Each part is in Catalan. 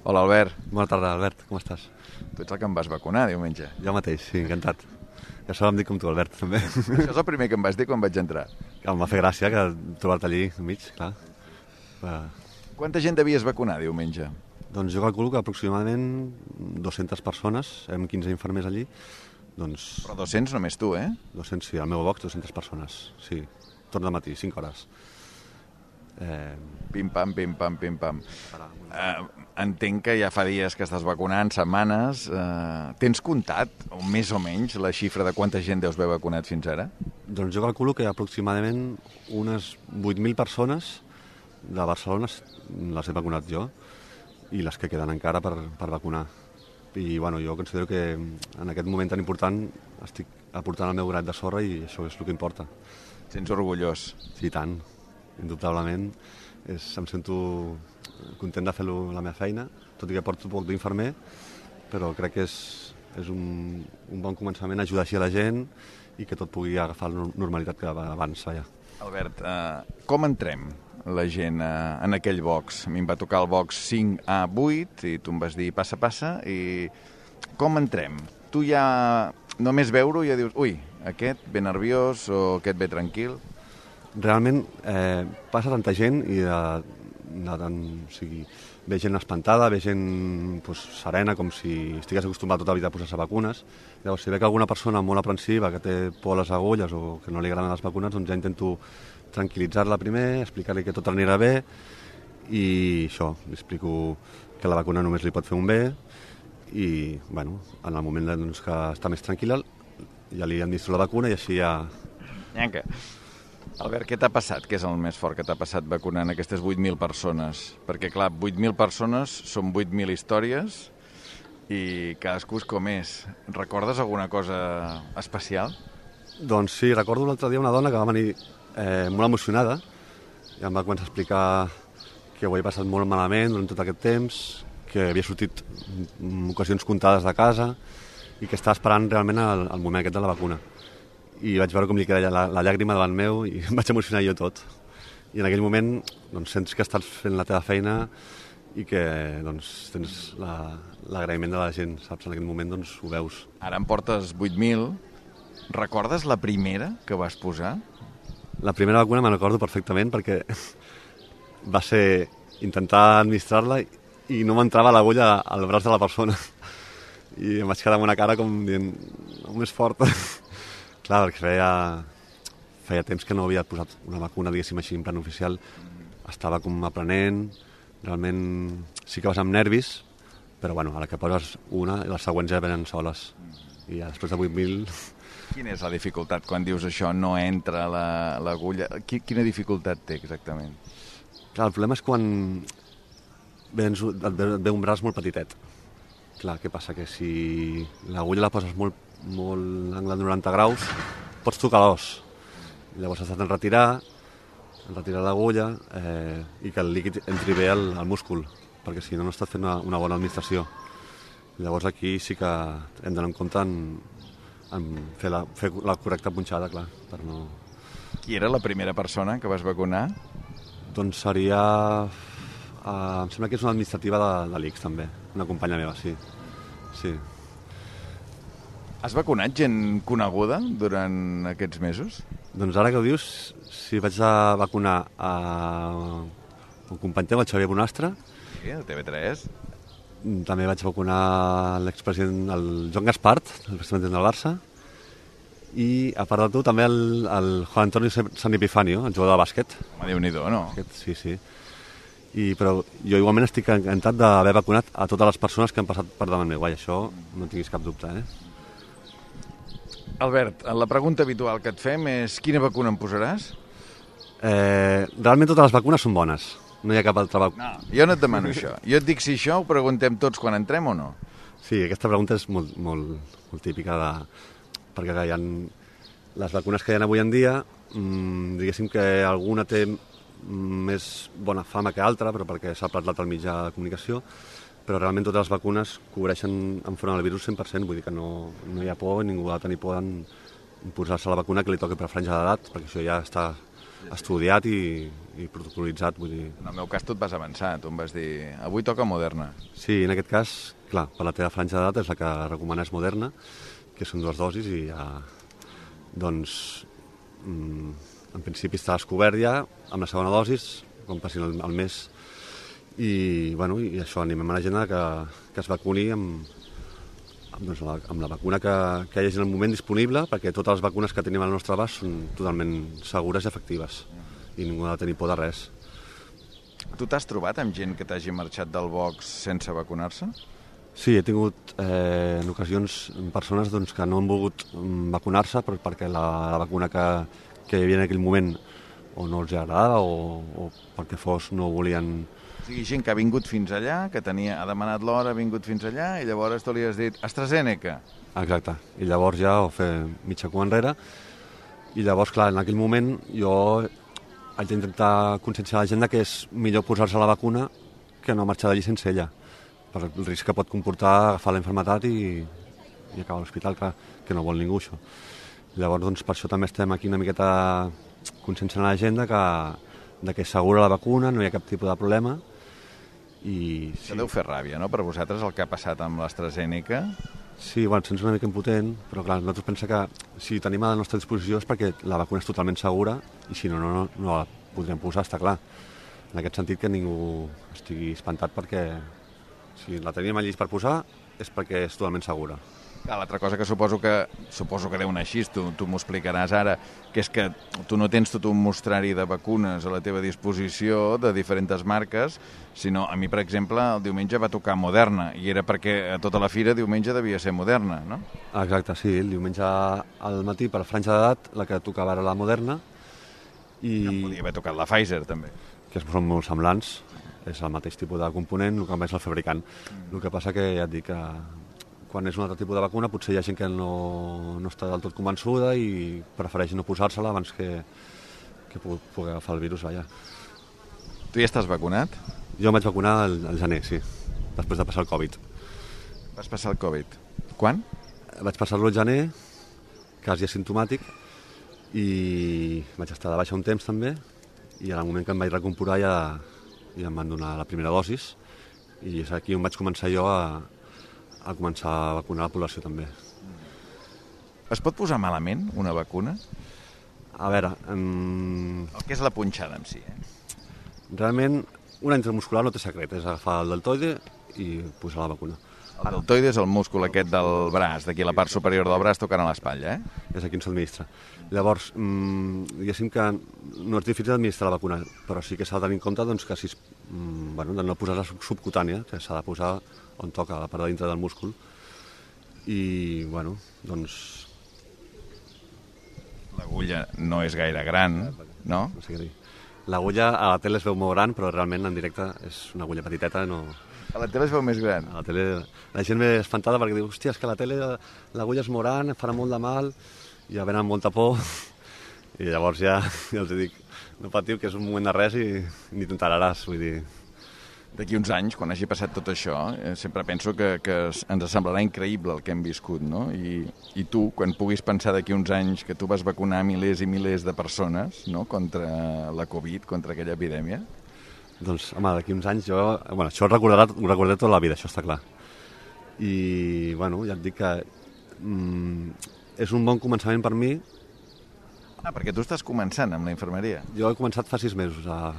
Hola, Albert. Bona tarda, Albert, com estàs? Tu ets el que em vas vacunar diumenge. Jo mateix, sí, encantat. Ja sort em dic com tu, Albert, també. Això és el primer que em vas dir quan vaig entrar. Que em va fer gràcia que trobar-te allí enmig, clar. Quanta gent devies vacunar diumenge? Doncs jo calculo que aproximadament 200 persones, hem 15 infermers allí, doncs... Però 200 només tu, eh? 200, sí, al meu box 200 persones, sí. Torn de matí, 5 hores. Pim-pam, pim-pam, pim-pam. Entenc que ja fa dies que estàs vacunant, setmanes. Tens comptat, més o menys, la xifra de quanta gent deus haver vacunat fins ara? Doncs jo calculo que aproximadament unes 8.000 persones de Barcelona les he vacunat jo i les que queden encara per vacunar. I bueno, jo considero que en aquest moment tan important estic aportant el meu grat de sorra i això és el que importa. Sents orgullós? Sí, tant. Indubtablement. Em sento content de fer la meva feina, tot i que porto poc d'infermer, però crec que és un bon començament ajudar així a la gent i que tot pugui agafar la normalitat que abans. Albert, com entrem la gent en aquell box? A mi em va tocar el box 5A8 i tu em vas dir passa, passa, i com entrem? Tu ja, només veure-ho, ja dius, ui, aquest ve nerviós o aquest ve tranquil? Realment passa tanta gent i ve gent espantada, ve gent serena, com si estigués acostumat tota la vida a posar-se vacunes. Llavors, si ve que alguna persona molt aprensiva, que té por a les agulles o que no li agraden les vacunes, doncs ja intento tranquil·litzar-la primer, explicar-li que tot anirà bé i això, li explico que la vacuna només li pot fer un bé i, bueno, en el moment que està més tranquil·la ja li administro la vacuna i així ja... Nyanca. Albert, què t'ha passat? Què és el més fort que t'ha passat vacunant aquestes 8.000 persones? Perquè, clar, 8.000 persones són 8.000 històries i cadascú és com és. Recordes alguna cosa especial? Doncs sí, recordo l'altre dia una dona que va venir molt emocionada i em va començar a explicar que ho havia passat molt malament durant tot aquest temps, que havia sortit en ocasions comptades de casa i que estava esperant realment el moment aquest de la vacuna. I vaig veure com li queia la llàgrima davant meu i em vaig emocionar jo tot. I en aquell moment doncs, sents que estàs fent la teva feina i que doncs, tens l'agraïment de la gent, saps? En aquell moment doncs, ho veus. Ara em portes 8.000. Recordes la primera que vas posar? La primera vacuna me'n recordo perfectament perquè va ser intentar administrar-la i no m'entrava l'agulla al braç de la persona. I em vaig quedar amb una cara com dient, no, més fort. Clar, perquè feia temps que no havia posat una vacuna, diguéssim així, en plan oficial. Estava com aprenent, realment sí que vas amb nervis, però bueno, a la que poses una, les següents ja venen soles. I ja després de 8.000... Quina és la dificultat quan dius això, no entra l'agulla? Quina dificultat té exactament? Clar, el problema és quan et ve un braç molt petitet. Clar, què passa? Que si l'agulla la poses molt angle de 90 graus, pots tocar l'os. Llavors has de retirar l'agulla i que el líquid entri bé al múscul, perquè si no, no estàs fent una bona administració. Llavors aquí sí que hem d'anar en compte en fer la correcta punxada, clar, per no... Qui era la primera persona que vas vacunar? Doncs seria... em sembla que és una administrativa de l'ICS, també. Una companya meva, sí. Sí. Has vacunat gent coneguda durant aquests mesos? Doncs ara que ho dius, sí, vaig a vacunar un company teu, el Xavier Bonastre. Sí, el TV3. També vaig vacunar l'expresident, el Joan Gaspart, el president del Barça. I, a part de tu, també el Juan Antonio San Epifanio, el jugador de bàsquet. Home, Déu-n'hi-do, no? Sí, sí. Però jo igualment estic encantat d'haver vacunat a totes les persones que han passat per davant meu. Això no tinguis cap dubte, Albert, la pregunta habitual que et fem és quina vacuna em posaràs? Realment totes les vacunes són bones. No hi ha cap altra vacuna. No, jo no et demano això. Jo et dic si això ho preguntem tots quan entrem o no. Sí, aquesta pregunta és molt típica perquè hi ha les vacunes que hi ha avui en dia, diguéssim que alguna té més bona fama que altra, però perquè s'ha parlat al mitjà de comunicació, però realment totes les vacunes cobreixen enfront al virus 100%, vull dir que no hi ha por, ningú ha de tenir por en posar-se la vacuna que li toqui per franja d'edat, perquè això ja està estudiat i protocolitzat, vull dir. En el meu cas tu et vas avançar, tu em vas dir avui toca Moderna. Sí, en aquest cas, clar, per la teva franja d'edat és la que recomanes Moderna, que són 2 dosis i ja, doncs, en principi estàs cobert ja amb la segona dosis, com passin el mes, i, bueno, i això, animem a la gent que es vacuni amb la vacuna que hi hagi en el moment disponible, perquè totes les vacunes que tenim al nostre abast són totalment segures i efectives, i ningú ha de tenir por de res. Tu t'has trobat amb gent que t'hagi marxat del box sense vacunar-se? Sí, he tingut en ocasions persones doncs, que no han volgut vacunar-se perquè la vacuna que hi havia en aquell moment o no els agradava o perquè fos no volien... O sigui, gent que ha vingut fins allà, que ha demanat l'hora, ha vingut fins allà, i llavors tu li has dit AstraZeneca. Exacte, i llavors ja ho fer mitja cua enrere, i llavors, clar, en aquell moment jo haig d'intentar conscienciar la gent que és millor posar-se la vacuna que no marxar d'allí sense ella, per el risc que pot comportar agafar la malaltia i acabar a l'hospital, que no vol ningú, això. Llavors, doncs, per això també estem aquí una miqueta conscienciant la gent que és segura la vacuna, no hi ha cap tipus de problema. I sí. Això deu fer ràbia, no?, per vosaltres, el que ha passat amb l'AstraZeneca. Sí, bueno, sents una mica impotent, però clar, nosaltres pensem que si tenim a la nostra disposició és perquè la vacuna és totalment segura i si no la podrem posar, està clar. En aquest sentit que ningú estigui espantat perquè si la teníem allí per posar és perquè és totalment segura. L'altra cosa que suposo que deu anar així, tu m'ho explicaràs ara, que és que tu no tens tot un mostrari de vacunes a la teva disposició de diferents marques, sinó a mi, per exemple, el diumenge va tocar Moderna, i era perquè a tota la fira diumenge devia ser Moderna, no? Exacte, sí, el diumenge al matí per franja d'edat la que tocava era la Moderna i... No podia haver tocat la Pfizer, també. Que són molt semblants, és el mateix tipus de component, el que més el fabricant. El que passa que ja et dic que quan és un altre tipus de vacuna potser hi ha gent que no està del tot convençuda i prefereix no posar-se-la abans que pugui agafar el virus allà. Tu ja estàs vacunat? Jo em vaig vacunar al gener, sí, després de passar el Covid. Vas passar el Covid. Quan? Vaig passar-lo al gener, quasi asimptomàtic, i vaig estar de baixa un temps també, i en el moment que em vaig recomporar ja em van donar la primera dosis, i és aquí on vaig començar jo a començar a vacunar la població també. Es pot posar malament una vacuna? A veure... El que és la punxada en si, Realment, una intramuscular no té secret, és agafar el deltoide i posar la vacuna. El deltoide és el múscul aquest del braç, d'aquí la part superior del braç tocant a l'espatlla, És aquí on s'administra. Llavors, diguéssim que no és difícil administrar la vacuna, però sí que s'ha de tenir en compte doncs, que de no posar-la subcutània, que s'ha de posar on toca, a la part de dintre del múscul. I, doncs... L'agulla no és gaire gran, no? No sé què dir. L'agulla a la tele es veu molt gran, però realment en directe és una agulla petiteta, no... A la tele es veu més gran. A la tele la gent ve espantada perquè diu, hòstia, és que a la tele l'agulla és molt gran, farà molt de mal, i ja venen amb molta por, i llavors ja els dic, no patiu, que és un moment de res i ni t'enteraràs, vull dir... D'aquí uns anys, quan hagi passat tot això, sempre penso que ens semblarà increïble el que hem viscut, no? I tu, quan puguis pensar d'aquí uns anys que tu vas vacunar milers i milers de persones, no?, contra la Covid, contra aquella epidèmia... Doncs, home, d'aquí uns anys jo... això ho recordaré tota la vida, això està clar. I, ja et dic que és un bon començament per mi. Perquè tu estàs començant amb la infermeria. Jo he començat fa 6 mesos a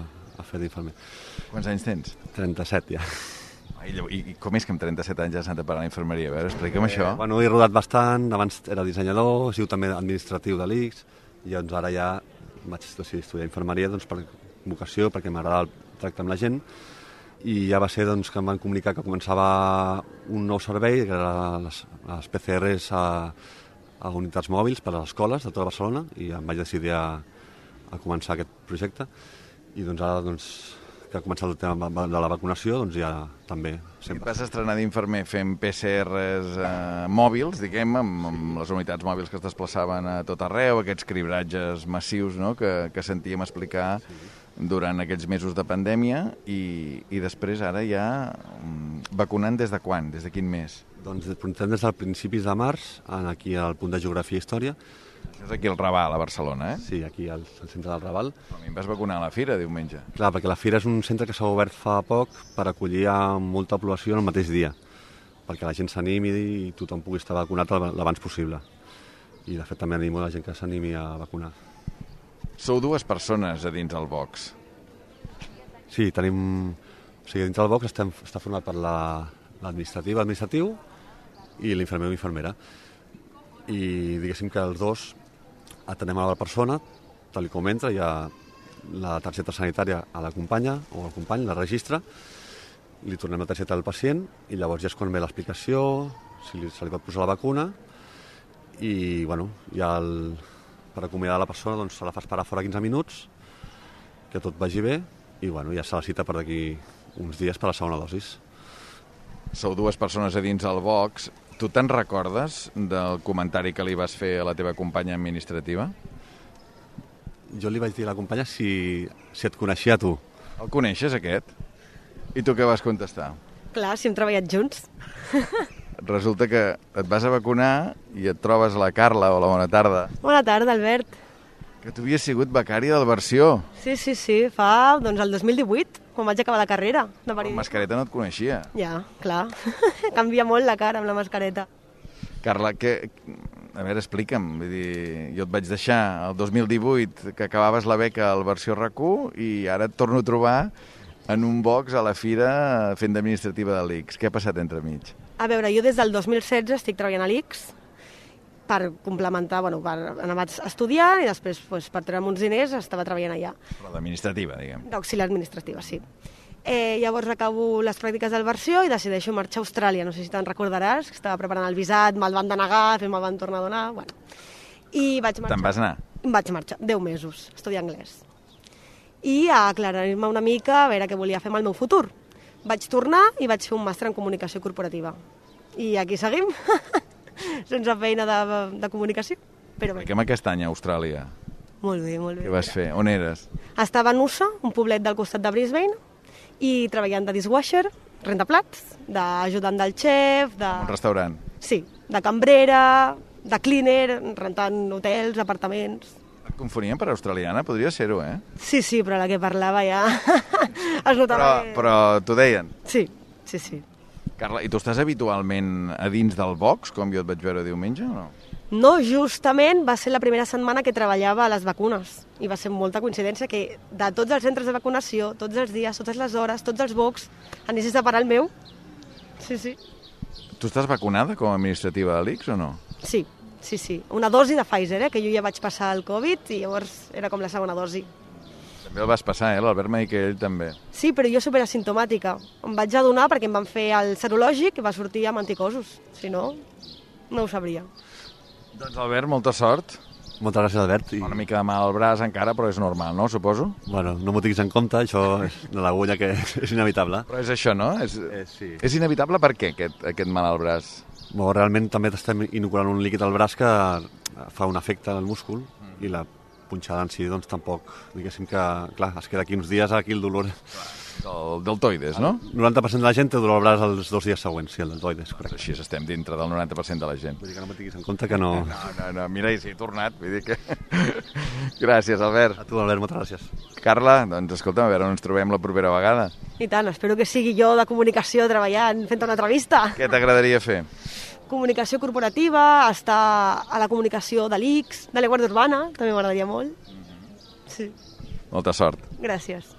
fer d'infermer. Quants anys tens? 37, ja. I com és que amb 37 anys has anat a parar a la infermeria? A veure, explica'm això. He rodat bastant, abans era dissenyador, he sigut també administratiu de l'ICS, i doncs ara ja vaig decidir estudiar infermeria doncs, per vocació, perquè m'agrada el tracte amb la gent, i ja va ser doncs, que em van comunicar que començava un nou servei, que era les PCRs a unitats mòbils per a les escoles de tota Barcelona, i em vaig decidir a començar aquest projecte, i doncs ara que ha començat el tema de la vacunació, doncs ja també. Et vas estrenar d'infermer fent PCRs mòbils, diguem, amb les unitats mòbils que es desplaçaven a tot arreu, aquests cribratges massius, no?, que sentíem explicar durant aquells mesos de pandèmia, i després ara ja vacunant des de quan? Des de quin mes? Doncs portem des dels principis de març, aquí al punt de Geografia i Història. Això és aquí al Raval, a Barcelona, eh? Sí, aquí al centre del Raval. A mi em vas vacunar a la fira diumenge. Clar, perquè la fira és un centre que s'ha obert fa poc per acollir a molta població en el mateix dia, perquè la gent s'animi i tothom pugui estar vacunat l'abans possible. I, de fet, també animo la gent que s'animi a vacunar. Sou 2 persones a dins el box. Sí, tenim... O sigui, dintre del box està format per l'administratiu i l'infermer o infermera. I diguéssim que els dos atenem a la persona, tal com entra, hi ha la targeta sanitària a la companya o al company, la registra, li tornem la targeta al pacient i llavors ja és quan ve l'explicació, si se li pot posar la vacuna i, bueno, ja per acomiadar la persona doncs, se la fa esperar fora 15 minuts, que tot vagi bé i bueno, ja se la cita per d'aquí uns dies per la segona dosis. Sou 2 persones a dins el box. Tu te'n recordes del comentari que li vas fer a la teva companya administrativa? Jo li vaig dir a la companya si et coneixia a tu. El coneixes, aquest? I tu què vas contestar? Clar, si hem treballat junts. Resulta que et vas a vacunar i et trobes la Carla. Hola, bona tarda. Bona tarda, Albert. Que tu havies sigut becari del Versió. Sí, fa doncs, el 2018, quan vaig acabar la carrera de Amb periodisme. mascareta no et coneixia. Ja, clar. Canvia molt la cara amb la mascareta. Carla, a veure, explica'm. Vull dir, jo et vaig deixar el 2018 que acabaves la beca al Versió RAC1 i ara et torno a trobar en un box a la fira fent d'administrativa de l'ICS. Què ha passat entremig? A veure, jo des del 2016 estic treballant a l'ICS per complementar, per anar estudiant i després per treure'm uns diners estava treballant allà. Però d'administrativa, diguem. D'auxiliar administrativa, sí. Llavors acabo les pràctiques del Versió i decideixo marxar a Austràlia. No sé si te'n recordaràs, que estava preparant el visat, me'l van denegar, me'l van tornar a donar, bueno. I vaig marxar. Te'n vas anar? Vaig marxar, 10 mesos, a estudiar anglès. I a aclarir-me una mica a veure què volia fer amb el meu futur. Vaig tornar i vaig fer un màster en comunicació corporativa. I aquí seguim, sense feina de comunicació. Però bé. Expliquem aquest any a Austràlia. Molt bé, molt bé. Què vas fer? On eres? Estava a Noosa, un poblet del costat de Brisbane, i treballant de dishwasher, rentaplats, d'ajudant del xef, de... Un restaurant. Sí, de cambrera, de cleaner, rentant hotels, apartaments... Et confonien per australiana? Podria ser-ho, eh? Sí, però la que parlava ja es notava Però t'ho deien? Sí. Carla, i tu estàs habitualment a dins del box, com jo et vaig veure diumenge, o no? No, justament va ser la primera setmana que treballava a les vacunes i va ser molta coincidència que de tots els centres de vacunació, tots els dies, totes les hores, tots els box, anessis a parar el meu. Sí. Tu estàs vacunada com a administrativa de l'ICS o no? Sí. Una dosi de Pfizer, que jo ja vaig passar el Covid i llavors era com la segona dosi. També el vas passar, l'Albert m'ha dit que ell també. Sí, però jo superasimptomàtica. Em vaig adonar perquè em van fer el serològic i va sortir amb anticosos. Si no, no ho sabria. Doncs Albert, molta sort. Moltes gràcies, Albert. Una mica de mal al braç encara, però és normal, no? Suposo? Bueno, no m'ho tinguis en compte, això és de l'agulla que és inevitable. Però és això, no? Sí. És inevitable per què, aquest mal al braç? Bueno, realment també t'estem inoculant un líquid al braç que fa un efecte al múscul i la punxada en si, doncs tampoc, diguéssim que, clar, es queda aquí uns dies aquí el dolor. Del deltoides, no? El 90% de la gent té dolor al braç els 2 dies següents, sí, el deltoides, correcte. Així estem dintre del 90% de la gent. Vull dir que no me tinguis en compte que no... No, mira, i si he tornat, vull dir que... Gràcies, Albert. A tu, Albert, moltes gràcies. Carla, doncs escolta'm, a veure on ens trobem la propera vegada. I tant, espero que sigui jo de comunicació treballant, fent una entrevista. Què t'agradaria fer? Comunicació corporativa, estar a la comunicació de l'ICS, de la Guàrdia Urbana, també m'agradaria molt. Sí. Molta sort. Gràcies.